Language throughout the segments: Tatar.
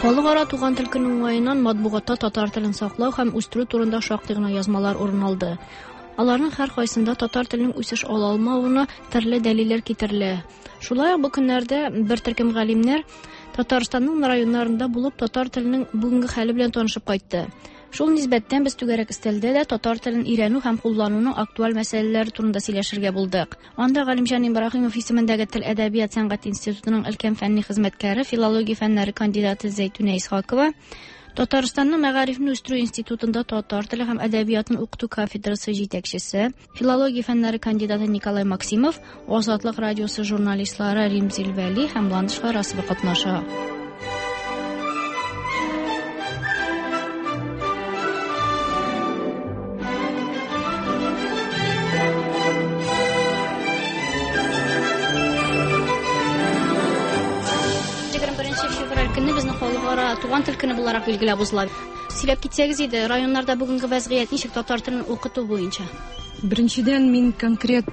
Халыкара туган тел көне уңаеннан матбугатта татар телен саклау һәм үстерү турында шактый гына язмалар урын алды. Аларның һәркайсында татар теленең үсеш ала алмавына төрле дәлилләр китерелә. Шулай ук бу көннәрдә бер төркем галимнәр Татарстанның районнарында булып татар теленең бүгенге хәле белән танышып кайтты. Шул нисбәттән без түгәрәк өстәлдә дә татар телен өйрәнү һәм куллануның актуаль мәсьәләләре турында сөйләшергә булдык. Анда Галимҗан Ибраһимов исемендәге Тел, әдәбият, сәнгать институтының өлкән фәнни хезмәткәре, филология фәннәре кандидаты Зәйтүнә Исхакова, Татарстанның мәгарифне үстерү институтында татар теле һәм әдәбиятын укыту кафедрасы җитәкчесе, филология фәннәре кандидаты Николай Максимов, Азатлык радиосы журналистлары Римзил Вәли һәм Ландыш Фарасова катнаша. Февраль көнне безнең халыкара туган тел көне буларак билгеләп узыла. Сөйләп китсәгез иде, районнарда бүгенге вәзгыять ничек татар телен укыту буенча? Беренчедән, мин конкрет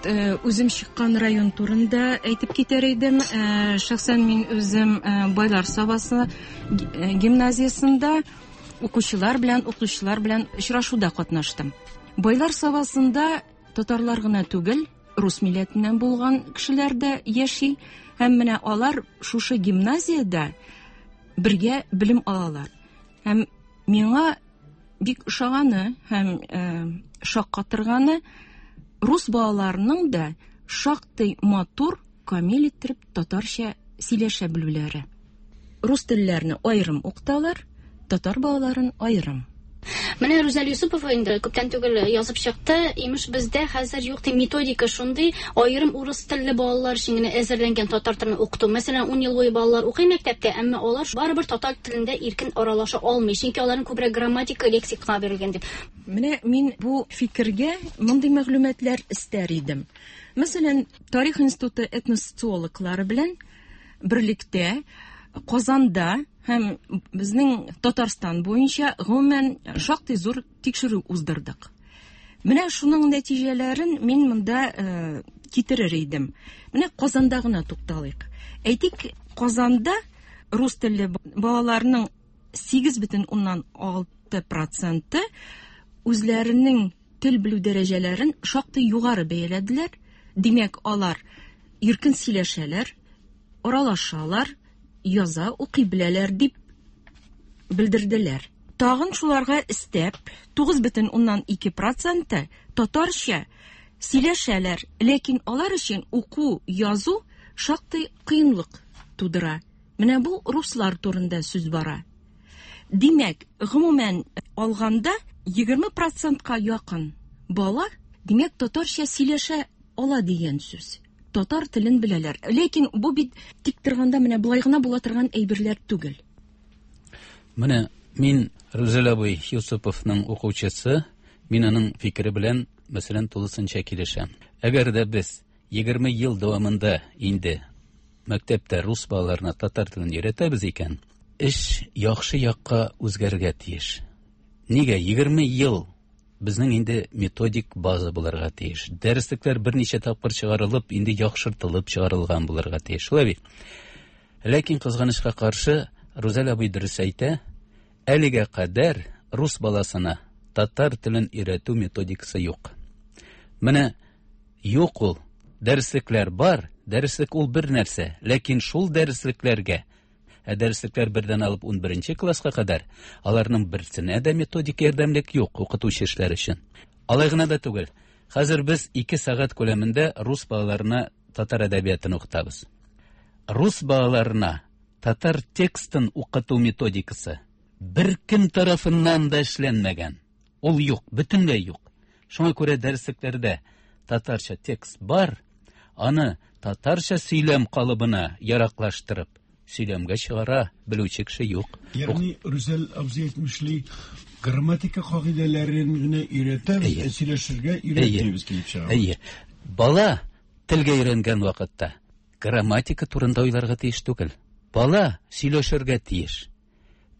үзем чыккан район турында әйтеп китәр идем. Шәхсән мин үзем Байлар Сабасы гимназиясендә укучылар белән, укытучылар белән очрашуда катнаштым. Байлар Сабасында татарлар гына түгел, рус милләтеннән булган кешеләр дә яши. Һәм менә алар шушы гимназиядә бергә белем алалар. Һәм миңа бик ошаганы һәм шаккатырганы, рус балаларының да шактый матур, камил иттереп татарча сөйләшә белүләре. Рус телләрне аерым укыталар, татар балаларын аерым. Менә Рүзәл Юсупова инде күптән түгел язып чыкты. Имеш, бездә хәзер юк ди методика шундый, аерым урыс телле балалар өчен генә әзерләнгән татар телен укыту. Мәсәлән, 10 ел буе балалар укый мәктәптә, әмма алар барыбер татар телендә иркен аралаша алмый, чөнки аларның күбрәк грамматика, лексика бирелгән дип. Менә мин бу фикергә мондый мәгълүматлар истәр идем. Мәсәлән, Тарих институты этносоциологлары белән берлектә Казанда һәм безнең Татарстан буенча гомумән шактый зур тикшерү уздырдык. Менә шуның нәтиҗәләрен мин монда китерер идем. Менә Казанда гына тукталыйк. Әйтик, Казанда рус телле балаларның сигез бөтен уннан алты проценты үзләренең тел белү дәрәҗәләрен шактый югары бәяләделәр. Димәк, алар иркен сөйләшәләр, аралашалар, яза, укый беләләр дип белдерделәр. Тагын шуларга өстәп, тугыз бөтен уннан ике проценты татарча сөйләшәләр, ләкин алар өчен уку, язу шактый кыенлык тудыра. Менә бу руслар турында сүз бара. Димәк, гомумән алганда егерме процентка якын бала, димәк, татарча сөйләшә ала дигән сүз. Татар телен беләләр. Ләкин бу бит тик торганда менә болай гына була торган әйберләр түгел. Менә мин Рүзәл абый Юсуповның укучысы, мин аның фикере белән, мәсәлән, тулысынча килешәм. Әгәр дә без егерме ел дәвамында инде мәктәптә рус балаларына татар телен өйрәтәбез икән, эш яхшы якка үзгәрергә тиеш. Нигә егерме ел безнең инде методик база булырга тиеш. Дәреслекләр берничә тапкыр чыгарылып, инде яхшыртылып чыгарылган булырга тиеш. Шулай бит? Ләкин кызганычка каршы, Рүзәл абый дөрес әйтә, әлегә кадәр рус баласына татар телен өйрәтү методикасы юк. Менә юк ул. Дәреслекләр бар, дәреслек ул бер нәрсә, ләкин шул дәреслекләргә, ә дәреслекләр бердән алып унберенче класска кадәр, аларның берсенә дә методик ярдәмлек юк укытучы эшләр өчен. Алай гына да түгел. Хәзер без 2 сәгать күләмендә рус балаларына татар әдәбиятын укытабыз. Рус балаларына татар текстын укыту методикасы бер кем тарафыннан да эшләнмәгән. Ул юк, бөтенләй юк. Шуңа күрә дәреслекләрдә татарча текст бар, аны татарча сөйләм калыбына яраклаштырып, сөйләмгә чыгара белүче кеше юк. Ягъни Рүзәл абзый әйтмешли, грамматика кагыйдәләрен генә өйрәтәбез, ә сөйләшергә өйрәтмибез килеп чыга. Әйе. Бала телгә өйрәнгән вакытта грамматика турында уйларга тиеш түгел. Бала сөйләшергә тиеш.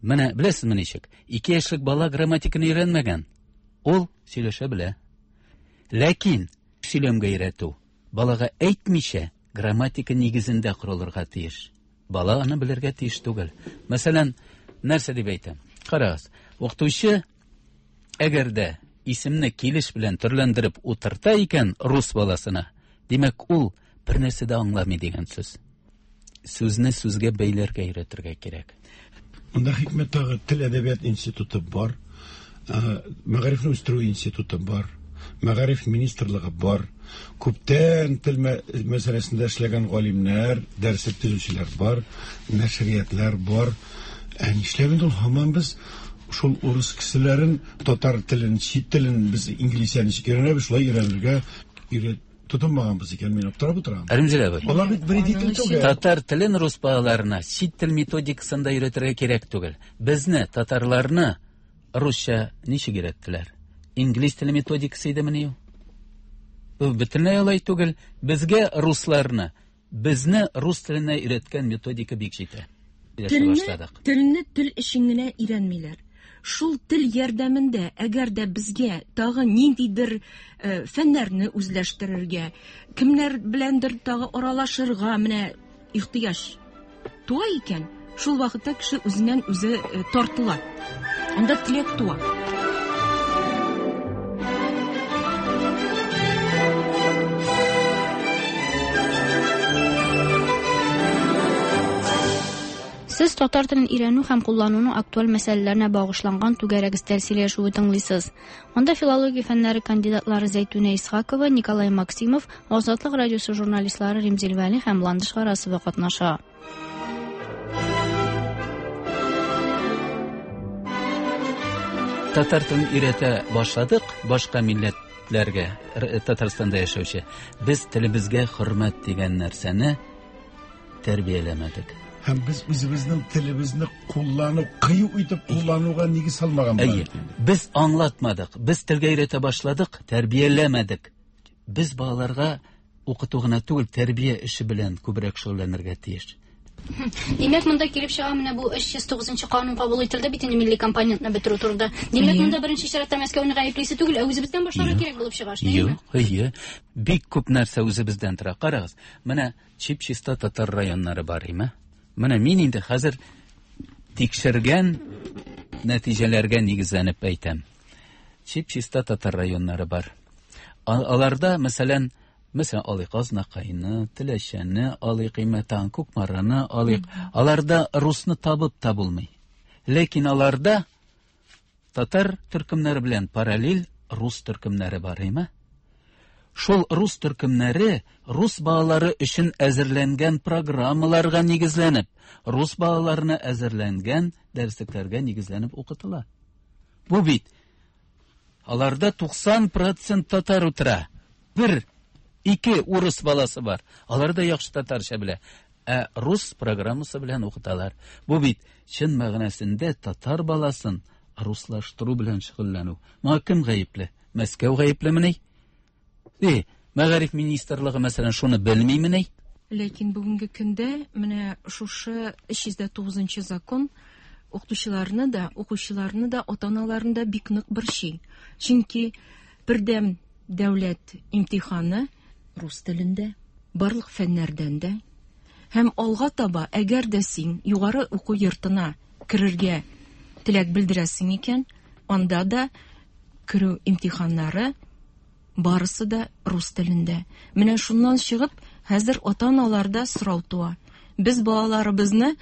Менә беләсезме ничек? 2 яшьлек бала грамматиканы өйрәнмәгән. Ул сөйләшә белә. Ләкин сөйләмгә өйрәтү балага әйтмичә грамматика нигезендә корылырга тиеш. Бала аны белергә тиеш түгел. Мәсәлән, Нәрсә дип әйтәм? Карагыз, укытучы әгәр дә исемне килеш белән төрләндереп утырта икән рус баласына, димәк, ул бер нәрсә дә аңламый дигән сүз. Сүзне сүзгә бәйләргә өйрәтергә кирәк. Монда хикмәт тагы тел әдәбият институты бар, мәгарифне үстерү институты бар, мәгариф министрлыгы бар. Күптән тел мәсьәләсендә эшләгән галимнәр, дәреслек төзүчеләр бар, нәшриятлар бар. Ә нишләп инде ул һаман без шул урыс кешеләрен татар телен, чит телен без инглизчә ничек өйрәнәбез, шулай өйрәнергә өйрәт тотынмаганбыз икән, мин аптырап утырам. Римзил абый. Алар бит бер тел түгел. Татар телен рус балаларына чит тел методикасында өйрәтергә кирәк түгел. Безне, татарларны, русча ничек өйрәттеләр? Инглиз теле методикасы идемени ул? Бу бөтенләй алай түгел. Безгә русларны, безне рус теленә өйрәткән методика бик җитә. Телне тел өчен генә өйрәнмиләр. Шул тел ярдәмендә, әгәр дә безгә тагы ниндидер фәннәрне үзләштерергә, кемнәр беләндер тагы аралашырга менә ихтыяҗ туа икән, шул вакытта кеше үзеннән үзе тартыла. Анда теләк туа. Сез татар телен өйрәнү һәм куллануның актуаль мәсьәләләренә багышланган түгәрәк өстәл сөйләшүе тыңлыйсыз. Анда филология фәннәре кандидатлары Зәйтүнә Исхакова, Николай Максимов, Азатлык радиосы журналистлары Римзил Вәли һәм Ландыш Гарасова катнаша. Татар телен өйрәтә башладык башка милләтләргә, Татарстанда яшәүче. Без телебезгә хөрмәт дигән нәрсәне тәрбияләмәдек. Һәм без үзебезнең телебезне куллану, кыю итеп куллануга нигез салмаган. Әйе. Без аңлатмадык. Без телгә өйрәтә башладык, тәрбияләмәдек. Без балаларга укыту гына түгел, тәрбия эше белән күбрәк шөгыльләнергә тиеш. Димәк, монда килеп чыга, менә бу 309 канун кабул ителде бит инде милли компонентны бетерү турында. Димәк, монда беренче чиратта Мәскәүне гаеплисе түгел, ә үзебездән башларга кирәк булып чыга, шулаймы? Юк, әйе. Бик күп нәрсә үзебездән тора. Карагыз, менә чип-чиста татар районнары бар, име? Менә мин инде хәзер тикшергән нәтиҗәләргә нигезләнеп әйтәм. Чип-чиста татар районнары бар. Аларда, мәсәлән, мәсәлән, алыйк Азнакайны, Теләчәне, алыйк Имәтан, Кукмараны алыйк. Аларда русны табып та булмый. Ләкин аларда татар төркемнәре белән параллель рус төркемнәре бар, име? Шул рус төркемнәре рус балалары өчен әзерләнгән программаларга нигезләнеп, рус балаларына әзерләнгән дәреслекләргә нигезләнеп укытыла. Бу бит аларда 90% татар утыра. Бер, ике урыс баласы бар. Алар да яхшы татарча белә. Ә рус программасы белән укыталар. Бу бит чын мәгънәсендә татар баласын руслаштыру белән шөгыльләнү. Моңа кем гаепле? Мәскәү гаеплемени? Мәгариф министрлыгы, мәсәлән, шуны белмимени? Ләкин бүгенге көндә менә шушы 309 закон укытучыларны да, укучыларны да, ата-аналарны да бик нык борчый. Чөнки бердәм дәүләт имтиханы рус телендә, барлык фәннәрдән дә. Һәм алга таба, әгәр дә син югары уку йортына керергә теләк белдерәсең икән, анда да керү имтиханнары барысы да рус телендә. Менә шуннан чыгып, хәзер ата-аналарда сорау туа. Без балаларыбызны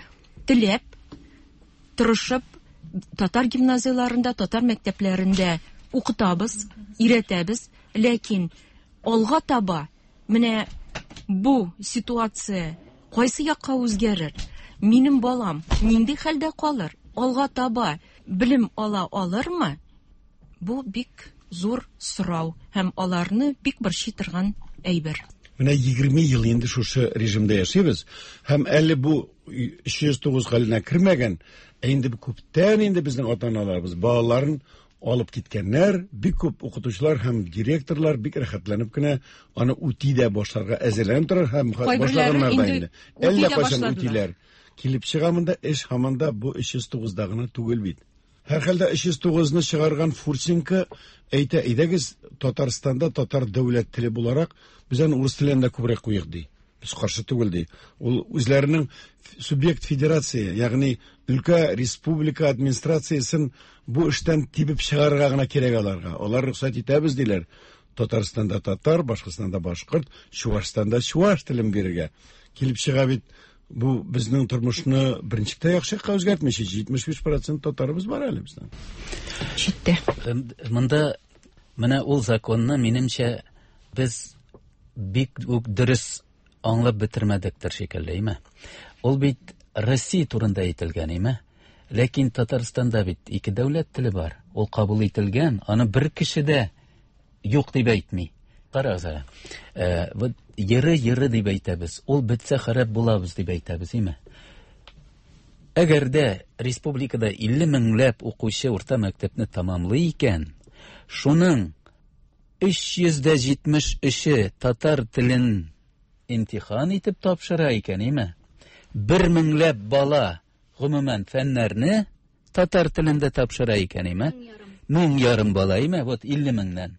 теләп, тырышып, татар гимназияләрендә, татар мәктәпләрендә укытабыз, өйрәтәбез, ләкин алга таба менә бу ситуация кайсы якка үзгәрер? Минем балам нинди хәлдә калыр? Алга таба белем ала алырмы? Бу бик зур сорау һәм аларны бик борчый торган әйбер. Менә 20 ел инде шушы режимда яшибез һәм әле бу 309 хәленә кермәгән, ә инде күптән инде безнең ата-аналарыбыз балаларын алып киткәннәр, бик күп укытучылар һәм директорлар бик рәхәтләнеп кенә аны үти дә башларга әзерләнеп торар һәм башлаганнар да инде. Әллә кайчан үтиләр. Килеп чыга монда эш һаман да бу 309-да гына түгел бит. Һәрхәлдә 309-ны чыгарган Фурсенко әйтә, әйдәгез, Татарстанда татар дәүләт теле буларак, без аны урыс теленә дә күбрәк куйык ди. Без каршы түгел ди. Ул үзләренең субъект федерация, ягъни өлкә республика администрациясен бу эштән тибеп чыгарырга гына кирәк аларга. Алар рөхсәт итәбез диләр. Татарстанда татар, Башкортстанда башкорт, Чуашстанда чуаш телен бирергә. Килеп чыга бит бу безнең тормышны берничек тә яхшы якка үзгәртми. 75% татарыбыз бар әле безнең. Читтә. Монда менә ул законны минемчә без бик үк дөрес аңлап бетермәдектер шикелле, име? Ул бит Россия турында әйтелгән, име? Ләкин Татарстанда бит ике дәүләт теле бар. Ул кабул ителгән, аны бер кеше дә юк дип әйтми. Карагыз әле. Вот еры-еры дип әйтәбез. Ул бетсә харап булабыз дип әйтәбез, име? Әгәр дә республикада 50 меңләп укучы урта мәктәпне тамамлый икән, шуның 373-е татар телен имтихан итеп тапшыра икән, име? Бер меңләп бала гомумән фәннәрне татар телендә тапшыра икән, име? Мең ярым бала, име? Вот 50 меңнән.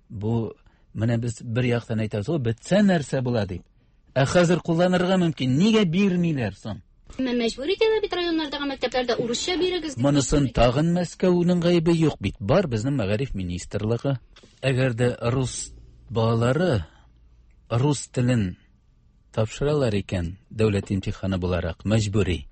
Бу менә без бер яктан әйтәбез, ул бетсә нәрсә була дип. Ә хәзер кулланырга мөмкин. Нигә бирмиләр соң? Әмма мәҗбүр итәләр бит районнардагы мәктәпләрдә урысча бирегез. Монысын тагын Мәскәүнең гаебе юк бит. Бар безнең мәгариф министрлыгы. Әгәр дә рус балалары рус телен тапшыралар икән, дәүләт имтиханы буларак, мәҗбүри.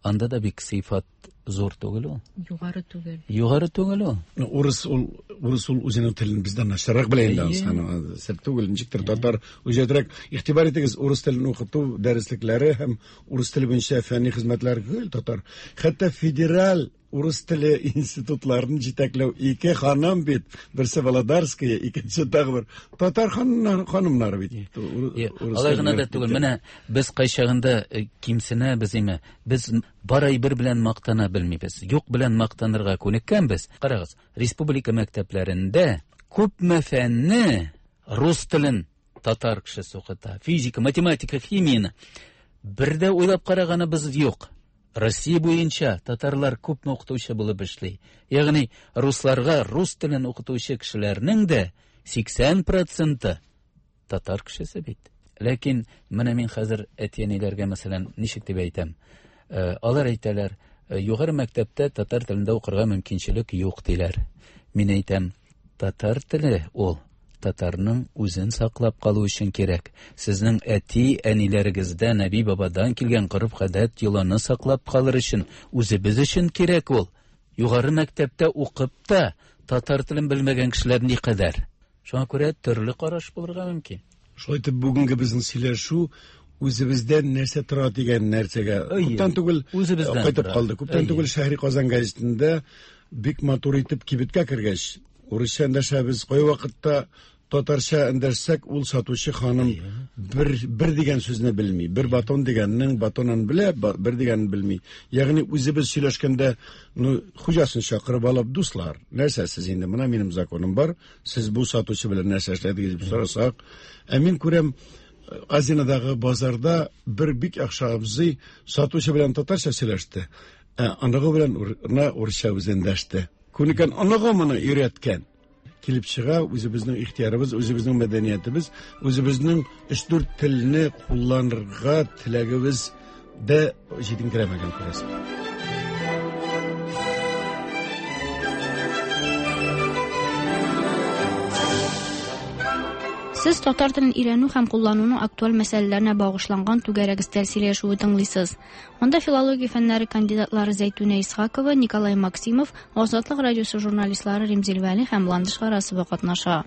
Анда да бик сыйфат зур түгел ул. Югары түгел. Югары түгел ул. Урыс ул, урыс ул үзенең телен бездән начаррак белә инде аны. Сер түгел, ничектер татар үҗәтрәк. Игътибар итегез, урыс телен укыту дәреслекләре һәм урыс теле буенча фәнни хезмәтләр гел татар. Хәтта федераль урыс теле институтларын җитәкләү ике ханым бит, берсе Володарская, икенче тагы бер татар ханымнары бит. Алай гына да түгел, менә без кайчагында кимсенәбез име, без бар әйбер белән мактана белмибез. Юк белән мактанырга күнеккәнбез. Карагыз, республика мәктәпләрендә күпме фәнне рус телен татар кешесе укыта. Физика, математика, химияне. Бер дә уйлап караганыбыз юк. Россия буенча татарлар күпме укытучы булып эшли. Ягъни русларга рус телен укытучы кешеләрнең дә 80% татар кешесе бит. Ләкин менә мин хәзер әти-әниләргә, мәсәлән, ничек дип әйтәм? Алар әйтәләр, югары мәктәптә татар телендә укырга мөмкинчелек юк диләр. Мин әйтәм, татар теле ул татарның үзен саклап калу өчен кирәк. Сезнең әти-әниләрегездән, әби-бабадан килгән гореф-гадәт, йоланы саклап калыр өчен, үзебез өчен кирәк ул. Югары мәктәптә укып та татар телен белмәгән кешеләр никадәр. Шуңа күрә төрле караш булырга мөмкин. Шулай итеп, бүгенге безнең сөйләшү үзебездән нәрсә тора дигән нәрсәгә күптән түгел кайтып калды. Күптән түгел Шәһри Казан газетында бик матур итеп кибеткә кергәч, урысча эндәшәбез, кайвакытта татарча эндәшсәк, ул сатучы ханым бер дигән сүзне белми. Бер батон дигәннең батонын белә, бер дигәнен белми. Ягъни үзебез сөйләшкәндә, ну, хуҗасын чакырып алып, дуслар, нәрсә сез инде, менә минем законым бар, сез бу сатучы белән нәрсә эшләдегез дип сорасак, ә мин күрәм, Азинадагы базарда бер бик яхшы абзый сатучы белән татарча сөйләште, ә оныгы белән урысча үзе эндәште. Күнеккән оныгы моны өйрәткән. Килеп чыга, үзебезнең ихтиярыбыз, үзебезнең мәдәниятебез, үзебезнең өч-дүрт телне кулланырга теләгебез дә җитенкерәмәгән, күрәсең. Сез татар телен өйрәнү һәм куллануның актуаль мәсьәләләренә багышланган түгәрәк өстәл сөйләшүе тыңлыйсыз. Анда филология фәннәре кандидатлары Зәйтүнә Исхакова, Николай Максимов, Азатлык радиосы журналистлары Римзил Вәли һәм Ландыш Гарасова катнаша.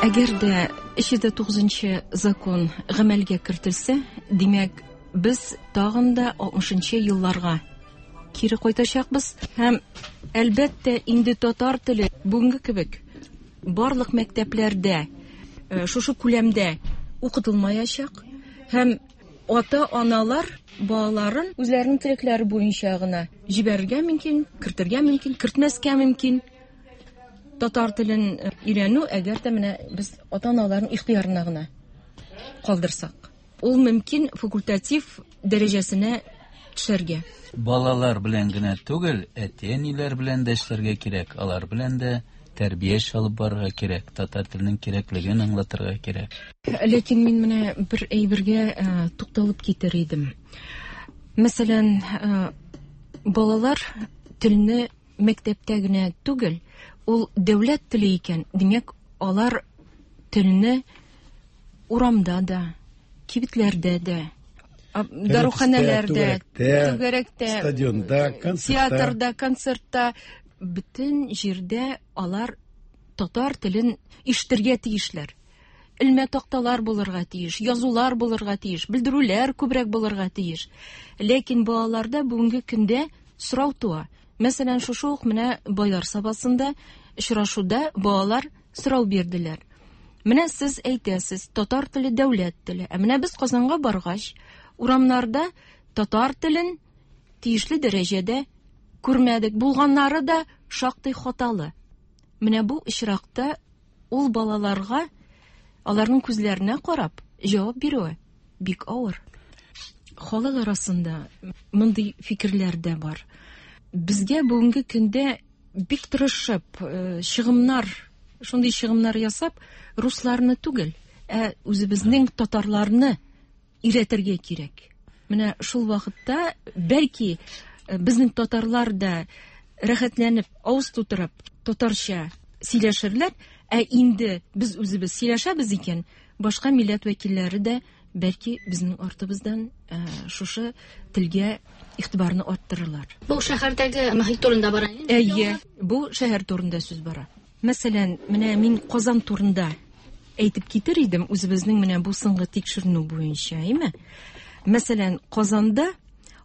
Әгәр дә 309 закон гамәлгә кертелсә, димәк, без тагын да 60 елларга кире кайтачакбыз һәм әлбәттә инде татар теле бүгенге кебек барлык мәктәпләрдә шушы күләмдә укытылмаячак һәм ата-аналар балаларын үзләренең теләкләре буенча гына җибәрергә мөмкин, кертергә мөмкин, кертмәскә мөмкин. Татар телен өйрәнү, әгәр дә менә без ата-аналарның ихтыярына гына калдырсак, ул мөмкин факультатив дәрәҗәсенә төшәргә. Балалар белән генә түгел, әти-әниләр белән дә эшләргә кирәк. Алар белән дә тәрбия эше алып барырга кирәк, татар теленең кирәклеген аңлатырга кирәк. Ләкин мин менә бер әйбергә э, тукталып китер идем. Мәсәлән, э, балалар телне мәктәптә генә түгел, ул дәүләт теле икән, димәк, алар телне урамда да, кибетләрдә дә, даруханәләрдә, түгәрәктә, стадионда, концертта, театрда, концертта, бөтен җирдә алар татар телен ишетергә тиешләр. Элмә такталар булырга тиеш, язулар булырга тиеш, белдерүләр күбрәк булырга тиеш. Ләкин балаларда бүгенге көндә сорау туа. Мәсәлән, шушы ук менә Байлар Сабасында очрашуда балалар сорау бирделәр. Менә сез әйтәсез, татар теле дәүләт теле. Ә менә без Казанга баргач, урамнарда татар телен тиешле дәрәҗәдә күрмәдек. Булганнары да шактый хаталы. Менә бу очракта ул балаларга аларның күзләренә карап җавап бирүе бик авыр. Халык арасында мондый фикерләр дә бар. Безгә бүгенге көндә бик тырышып, э, чыгымнар, шундый чыгымнар ясап, русларны түгел, ә үзебезнең татарларны өйрәтергә кирәк. Менә шул вакытта бәлки э, безнең татарлар да рәхәтләнеп, авыз тутырып татарча сөйләшерләр, ә инде без үзебез сөйләшәбез икән, башка милләт вәкилләре дә бәлки безнең артыбыздан э, шушы телгә игътибарны арттырырлар. Бу шәһәрдәге мохит турында бара инде. Әйе, бу шәһәр турында сүз бара. Мәсәлән, менә мин Казан турында әйтеп китер идем, үзебезнең менә бу соңгы тикшеренү буенча, әйме? Мәсәлән, Казанда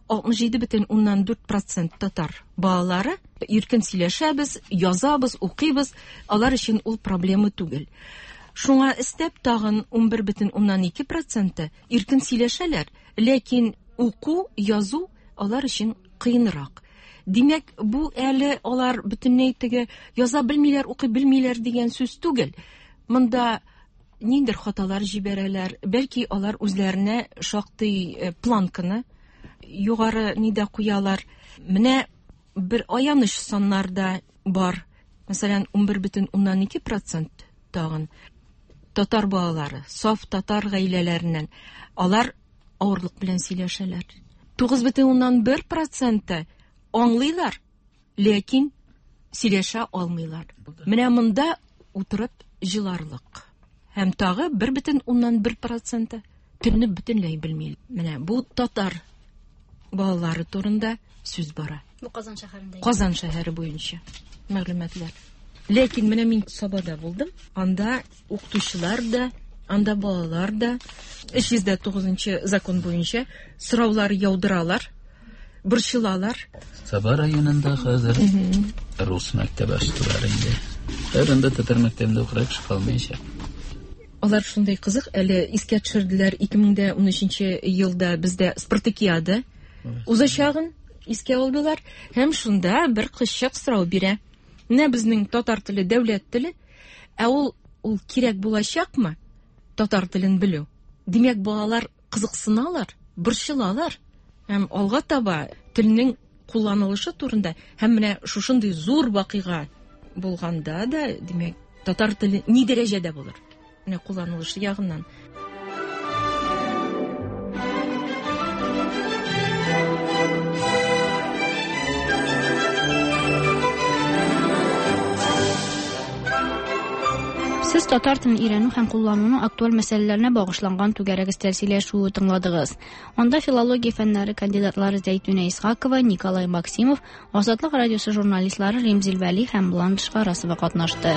67,4% татар балалары иркен сөйләшәбез, язабыз, укыйбыз, алар өчен ул проблема түгел. Шуңа өстәп тагын 11,2% иркен сөйләшәләр, ләкин уку, язу алар өчен кыенрак. Димәк, бу әле алар бөтенләй теге яза белмиләр, укый белмиләр дигән сүз түгел. Монда ниндер хаталар җибәрәләр, бәлки алар үзләренә шактый э, планканы югары нидә куялар. Менә бер аяныч саннар да бар. Мәсәлән, 11,2% тагын татар балалары, саф татар гаиләләреннән алар авырлык белән сөйләшәләр. 9,1% аңлыйлар, ләкин сөйләшә алмыйлар. Менә монда утырып җыларлык. Һәм тагы 1,1% телне бөтенләй белми. Менә бу татар балалары турында сүз бара. Бу Казан шәһәрендә. Казан шәһәре буенча мәгълүматлар. Ләкин менә мин Сабада булдым. Анда укытучылар да, анда балалар да 309 закон буенча сораулар яудыралар, борчылалар. Саба районында хәзер рус мәктәбе ачтылар инде. Хәзер анда татар мәктәбендә укырга кеше калмаячак. Алар шундый кызык, әле искә төшерделәр 2013 елда бездә спартакиада узачагын искә алдылар һәм шунда бер кызчык сорау бирә. Менә безнең татар теле дәүләт теле, ә ул ул кирәк булачакмы татар телен белү? Димәк, балалар кызыксыналар, борчылалар һәм алга таба телнең кулланылышы турында һәм менә шушындый зур вакыйга булганда да, димәк, татар теле ни дәрәҗәдә булыр? Менә кулланылышы ягыннан. Сез татар телен өйрәнү һәм куллануның актуаль мәсьәләләренә багышланган түгәрәк өстәл сөйләшүе тыңладыгыз. Анда филология фәннәре кандидатлары Зәйтүнә Исхакова, Николай Максимов, Азатлык радиосы журналистлары Римзил Вәли һәм Ландыш Гарасова катнашты.